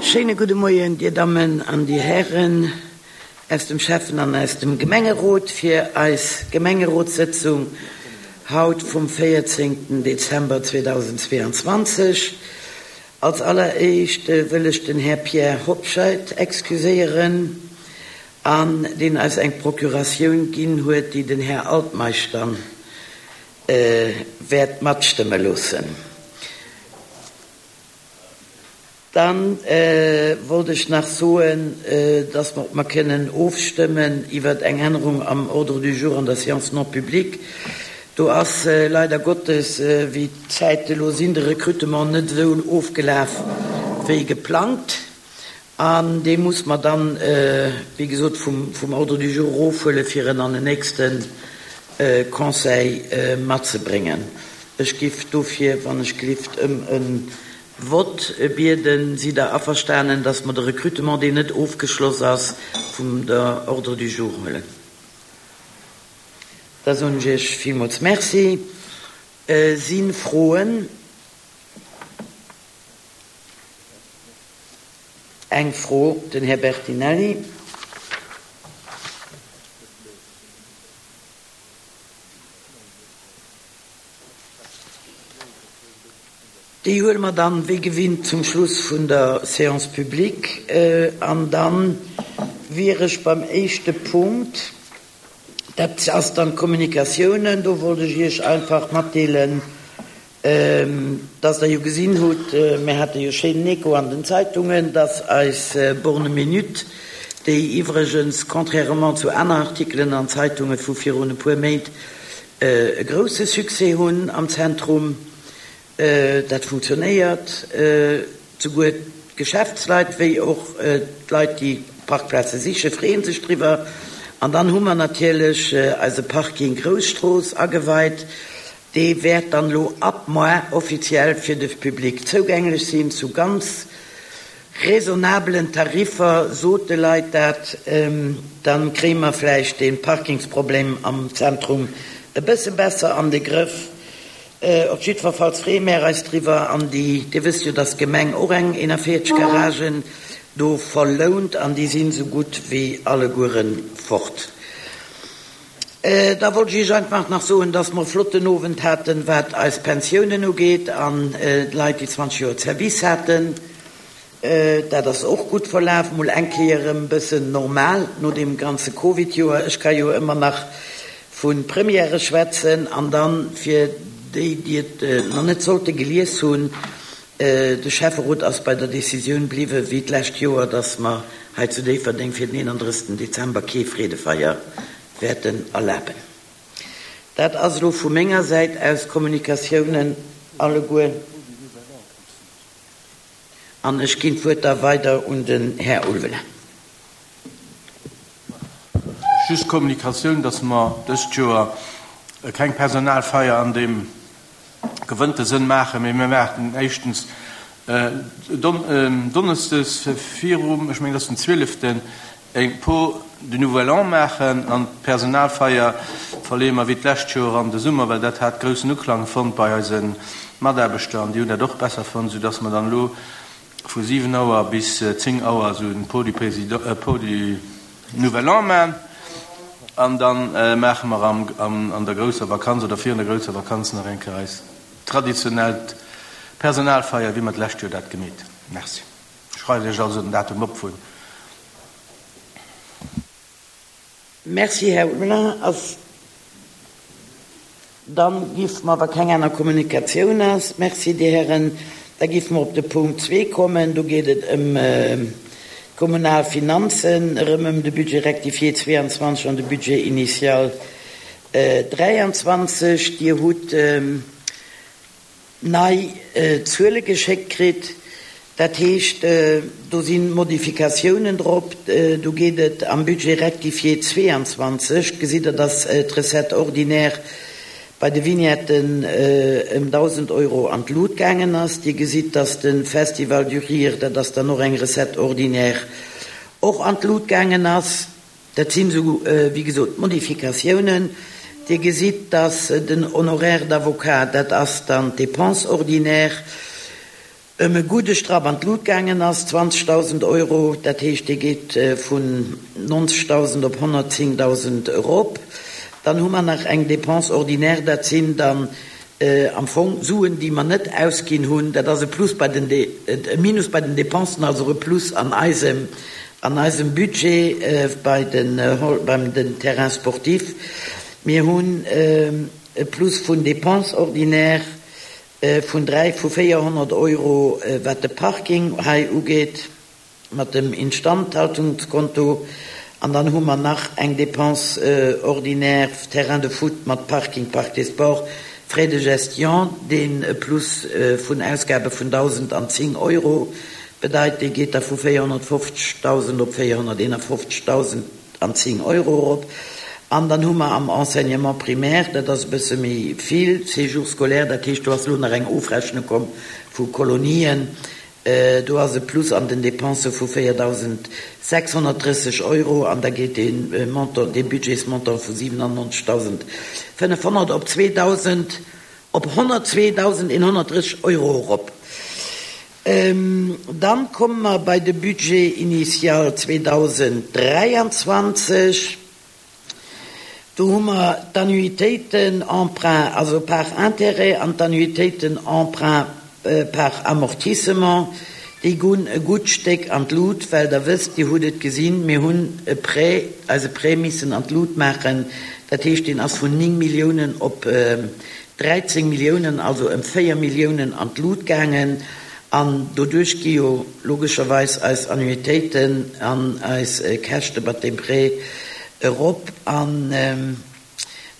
Schéine gudde Moien, Dir Dammen an Dir Hären aus dem Schäffen an aus dem Gemengerot, fir eis Gemengerotssëtzung haut vum 14 Dezember 2022. Als alleréischt wëll ech den Här Pierre Hobscheit excuséieren, an deen eis eng Procuratioun ginn huet, déi den Här Altmeisch dann wäert matstëmme loossen. Da wollt ech nach soen, dass mer, ob mer kënnen ofstëmmen iwwer eng Ännerung am Ordre du jour an der Séance non publique. Do ass leider Gottes, wéi d'Zäite elo sinn, de Recrutement net esou ofgelaf wéi geplangt. An dee muss mer dann, wéi gesot, vum Ordre du jour erofhuelen, fir en an den nächste Conseil matzebréngen. Ech giff dofir, wann ech glift, ëm e Vott bieden. Sidd Der averstanen, dass mer de Recrutement, deen net ofgeschloss ass, vum der Ordre du jour huelen? Da soen ech Iech villmools Merci. Si Froen? Eng Fro, den Här Bertinelli. Déi huele mer dann, wéi gewinnt, zum Schluss vun der Séance publique. An da wier ech beim éischte Punkt, dat ass dann d'Kommunikatiounen. Do wollt ech Iech einfach matdeelen, Dass Der jo gesinn hutt, mir hate jo schéinen Echo an den Zeitungen, dass eis Borne minute, déi iwwregens, contrairement zu aner Artikelen an Zeitunge vu virun e puer Méint, e grousse Succès hunn am Zentrum, dat funktionéiert, souguer d'Geschäftsleit wéi och d'Leit, déi Parkplaze sichen, freeë sech driwwer. An dann hu mer natierlech eise Parking Grousstrooss ageweit, Dee wäert dann elo ab moar offiziell fir de Public zougänglech sinn, zu ganz raisonnabelen Tariffer. Sot de Leit dat, dann kréie mer vläicht dee Parkingsproblem am Zentrum e bësse besser an de Grëff. Op jiddwerfalls freeë mär eis driwwer. An déi, Dir wësst jo, dass d'Gemeng och eng 41 Garagen do verlount an déi sinn esou gutt wéi allegueren fort. Da wollt ech Iech einfach nach soen, dass mer e flotten Owend haten, wat eis Pensiounen ugeet an d'Leit, déi 20 Joer Service haten. Dat ass och gutt verlaf, mol eng Kéier erëm e bëssen normal no deem ganze Covid-Joer. Ech ka jo ëmmer nach vu Premièrë schwätzen. An dann, fir déi, déi et nach net sollte gelies hunn, De Schäfferot ass bei der Decisioun bliwwe wéi d'lescht Joer, dass mer hei zu Déifferdeng fir den 31. Dezember kee Freedefeier wäerten erlaben. Dat ass elo vu menger Säit aus d'Kommunikatiounen alleguer an ech ginn d'Wuert da weider un den Här Ulveling. Just d'Kommunikatioun, dass mer dëst Joer keng Personalfeier an deem gewënnte Sënn maachen, mee mir maachen éischtens donneschdes virum, ech mengen et ass den zwieleften, eng Pot de Nouvel An maachen an d'Personalfeier verleeë mer wéi d'lescht Joer an de Summer, well dat hat groussen Uklang fonnt bei eise Mataarbechter an déi hunn dat och besser fonnt, soudass mer dann elo vu 7 Auer bis 10 Auer esou en Pot du Président, Pot du Nouvel An man an da maache mer an der grousser Vakanz oder virun der grousser Vakanz nach eng Kéier eis traditionellt Personalfeier, wéi mer d'lescht Joer dat gemeet hunn. Merci. Schreift Iech also den Datum op vun. Merci, Här Hulin. Ass Dann giff mer, wa keng aner Kommunikatioun ass, merci Dir Hären, da giff mer op de Punkt zwee kommen. Do geet et ëm d'kommunal Finanzen, erëm ëm de Budget rectifié 22 an de Budget initial 23. Dir hutt nei Zuele geschéckt kritt. Dat heescht, do si Modifikatiounen drop. Do geet et am Budget rectifié 22, gesitt Der, dass d'Recette ordinaire bei de Vignetten ëm 1.000 Euro an d'Lut gaangen ass. Dir gesitt, dass de Festival du Rire, dat ass dann och eng Recette ordinaire, och an d'Lut gaangen ass. Dat sinn esou, wéi gesot, d'Modifikatiounen. Dir gesitt, dass den Honoraire d'avocat, dat ass dann d'Dépense ordinaire. Ëm e gudde Strapp an d'Lut gaangen ass, 20.000 Euro, dat heescht, dee geet vun 90.000 op 110.000 erop. Dann hu mer nach eng Dépense ordinaire, dat sinn dann am Fong Suen, déi mer net ausginn hunn. Dat ass e Plus bei den, e Minus bei den Dépensen, also och e Plus an eisem, an eisem Budget bei den, beim den Terrains sportifs. Mir hunn e Plus vun Dépenses ordinaires Vun 3 vu 400 Euro wat de Parking hei ugeet mat dem Instandhaltungskonto. An dann hu mer nach eng Dépense ordinaire Terrain de foot mat Parking Parc des Sports, Frais de gestion, deen e Plus vun Ausgabe vun 1.010 Euro bedeit. Dee geet da vu 450.000 op 451.000. An 10 Euro erop. An dann hu mer am Enseignement primaire, dat ass e bësse méi vill, Séjour scolaire, dat heescht do ass elo nach eng Ofrechnung komm vu Kolonien, do ass e Plus an den Dépensë vu 4.630 Euro an da geet dee Montant, dee Budgetsmontant vu 97.500 op 2.000, op 102.130 Euro erop. Dann komme mer bei de Budget initial 2023. Do hu mer d'Annuitéiten emprunt, also par intérêt, an d'Annuitéiten emprunt par amortissement. Déi gonn e gutt Stéck an d'Lut, well Der wësst, Dir hutt et gesinn, mir hunn e Prêt, eise Prêt missen an d'Lut maachen. Dat heescht, deen ass vun 9 Milliounen op 13 Milliounen, also ëm 4 Milliounen an d'Lut gaangen. An doduerch gi jo logescherweis eis Annuitéiten an eis Käschte mat deem Prêt erop. An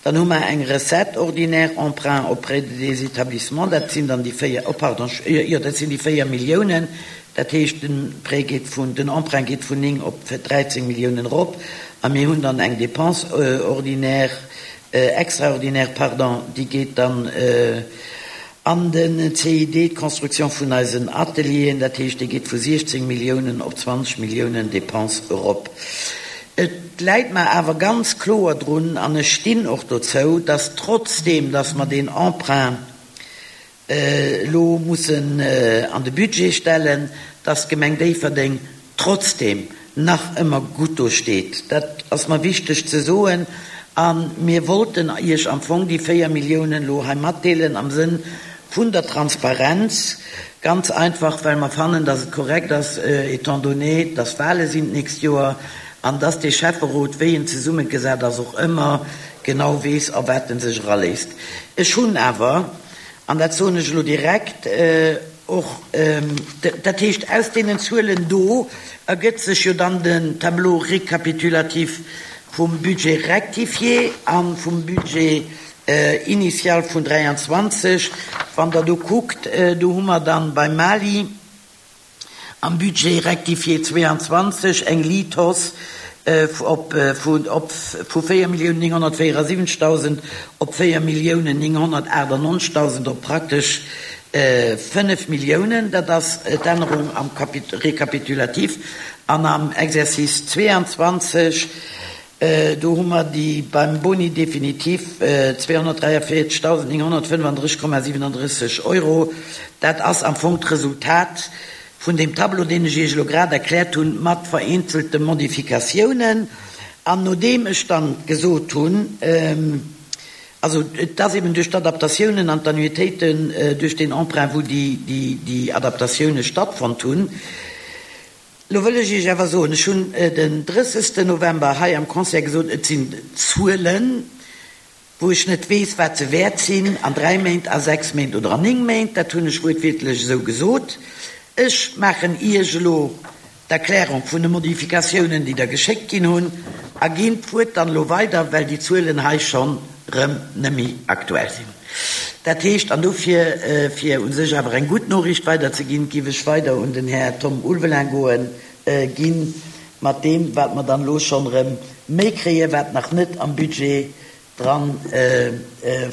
dann hu mer eng Recette ordinaire, Emprunt auprès des établissements, dat sinn dann déi 4, oh pardon, jo, dat sinn déi 4 Milliounen. Dat heescht, de Prêt geet vun, den Emprunt geet vun 9 op 13 Milliounen erop. A mir hunn dann eng Dépense ordinaire, extraordinaire, pardon, déi geet dann an den CID, d'Construction vun eisen Atelieren, dat heescht, déi geet vu 16 Milliounen op 20 Milliounen Dépenses erop. Et läit mer awer ganz kloer drun, an ech stinn och dozou, dass trotzdeem, dass mer deen Emprunt elo mussen an de Budget stellen, dass d'Gemeng Déifferdeng trotzdeem nach ëmmer gutt do steet. Dat ass mer wichteg ze soen. A mir wollten Iech am Fong déi 4 Milliounen elo hei matdeelen am Sënn vun der Transparenz, ganz einfach, well mer fannen, dass et korrekt ass, étant donné, dass Wahle sinn d'nächst Joer an dass dee Schäfferot, wéi en zesummegesat ass, och ëmmer genau weess, a wat en sech eraléisst. Ech hunn awer, an dat soen ech elo direkt, och, dat heescht, aus deenen Zuelen do ergëtt sech jo dann den Tableau récapitulatif vum Budget rectifié a vum Budget initial vun 23. Wann Der do kuckt, do hu mer dann beim Mali, Am Budget rectifié 22 eng Liit-Hausse op vu 4.974.000 op 4.998.000 op praktesch 5 Milliounen. Dat ass d'Ännerung am Récapitulatif. An am Exercice 22, do hu mer déi beim Boni définitif 243.935,37 Euro. Dat ass am Fong d'Resultat vun deem Tableau, deen ech Iech elo grad erkläert hunn, mat vereenzelte Modifikatiounen. An nodeem ech dann gesot hunn, also et ass eben duerch d'Adaptatiounen an d'Annuitéiten, duerch deen Emprunt, wou déi Adaptatioune stattfonnt hunn, Lo wëll ech Iech awer soen, ech hunn den 30 November hei am Conseil gesot, et sinn Zuelen, wou ech net weess, wat se wäert sinn an dräi Méint, a sechs Méint oder an néng Méint. Dat hunn ech wuertwiertlech esou gesot. Ech maachen Iech elo d'Erklärung vun de Modifikatiounen, déi Der geschéckt ginn hunn, a ginn d'Wuert dann elo weider, well déi Zuelen hei schonn rëm net méi aktuell sinn. Dat heescht, an dofir, fir u sech awer eng gutt Noriicht weiderzeginn, géif ech weider un den Här Tom Ulveling goen ginn, mat deem, wat mer dann elo schonn erëm méi kréien, wat nach net am Budget dran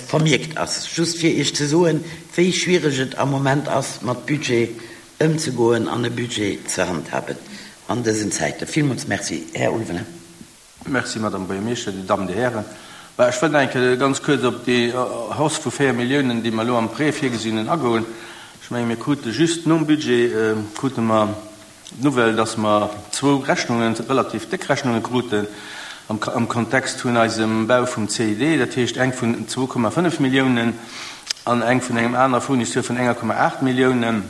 vermierkt ass. Just fir Iech ze soen, wéi schwiereg et am Moment ass, mat Budget ëmzegoen an e Budget ze handhaben an dësen Zäiten. Villmools Merci, Här Ulveling. Merci, Madame Buergermeeschter, Dir Dammen, Dir Hären. Bah, ech wëllt nach eng Kéier ganz kuerz op déi Hausse vu 4 Milliounen, déi mer elo am Prêt virgesinn hunn, agoen. Ech menge mir krute just nom Budget krute mer d'Nouvelle, dass mer zwou Rechnungen, relativ déck Rechnunge kruten am Kontext vun eisem Bau vum CID, dat heescht eng vun 2,5 Milliounen an eng vun engem anere Fournisseur vun 1,8 Milliounen.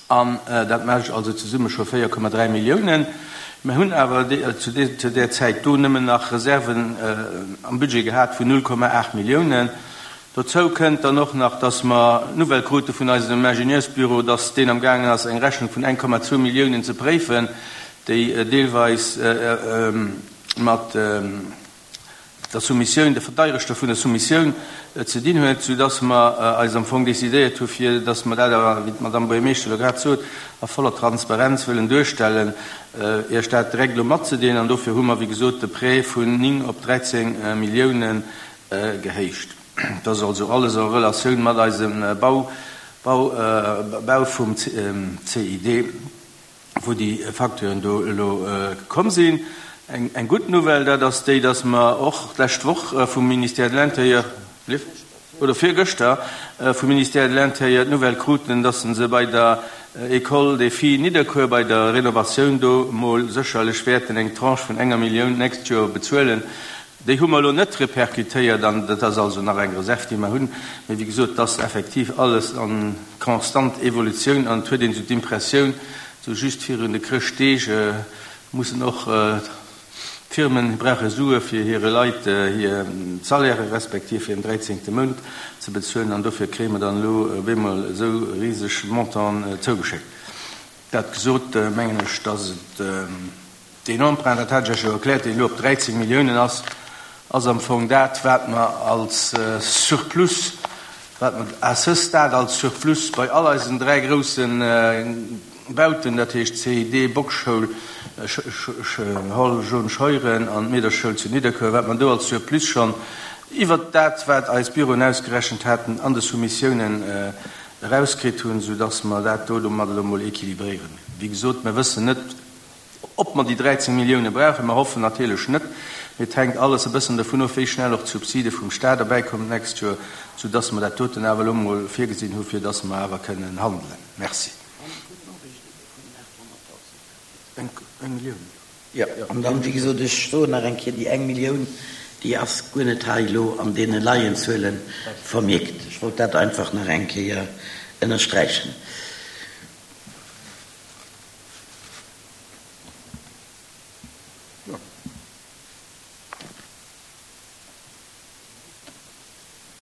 An dat mécht also zesumme scho 4,3 Milliounen. Mir hunn awer zu där Zäit do nëmmen nach Reserven am Budget gehat vun 0,8 Milliounen. Dozou kënnt dann och nach, dass mer d'Nouvelle krute vun eisem Ingenieursbüro, dass deen am gaangen ass, eng Rechnung vun 1,2 Milliounen ze préifen, déi deelweis mat der Soumissioun, der Verdeierechter vun der Soumissioun ze dinn huet, soudass mer eis am Fong decidéiert hu fir dass mer dat awer, wéi d'Madame Buergermeeschter elo grad sot, a voller Transparenz wëllen duerstellen, Iech dat direkt elo matzedeelen. An dofir hu mer, wéi gesot, de Prêt vun 9 op 13 Milliounen gehéicht. Dat ass also alles en Relatioun mat eisem Bau, Bau, Bau vum CID. wou déi Facturen do elo komm sinn. Eng gutt Nouvelle, dat ass déi, dass mer och d'lescht Woch vum Ministère de l'Intérieur, oder virgëschter vum Ministère de l'Intérieur d'Nouvelle kruten, dass se bei der École des Filles Nidderkuer bei der Renovatioun do mol sécherlech wäerten eng Tranche vun enger Millioun d'nächst Joer bezuelen. Déi hu mer elo net repercutéiert an dat ass also nach eng Reserv, déi mer hunn. Mee wéi gesot, et ass effektiv alles a constant Evolutioun an et huet een esou d'Impressioun, esou just virun de Chrëschtdeeg mussen och d'Firmen brauche Sue fir hire Leit hir Salairë respektiv hiren dräizéngte Mount ze bezuelen an dofir kréie mer dann elo op eemol esou riseg Montanten zougeschéckt. Dat gesot, mengen ech, dass et. Deen Emprunt, dat hat ech Iech jo erkläert, deen elo op 13 Milliounen ass, ass am Fong dat, wat mer als Surplus, wat mer à ce stade als Surplus bei all eisen dräi grousse Bauten, dat heescht CID, Bockschoul, Hall Jaune Scheuren an d'Meederchsschoul zu Nidderkuer, wat mer do als Surplus schonn iwwert dat, wat eis Büroen ausgerechent haten, an de Soumissiounen erauskritt hunn, soudass mer dat do domat elo emol équilibréieren. Wéi gesot, mer wëssen net, Ob mer déi 13 Millioune brauchen, mer hoffen natierlech net, mee et hänkt alles e bëssen dovun of, wéi schnell och d'Subside vum Stat erbäikommen d'nächst Joer, soudass mer dat doten awer elo emol virgesinn hu fir dass mer awer kënnen handelen. Merci. Eng Millioun. Jo, an dann, wéi gesot, ech soen nach eng Kéier, déi eng Millioun, déi ass guer net hei elo an deene Laienzuele vermierkt. Ech wollt dat einfach nach eng Kéier ënnersträichen.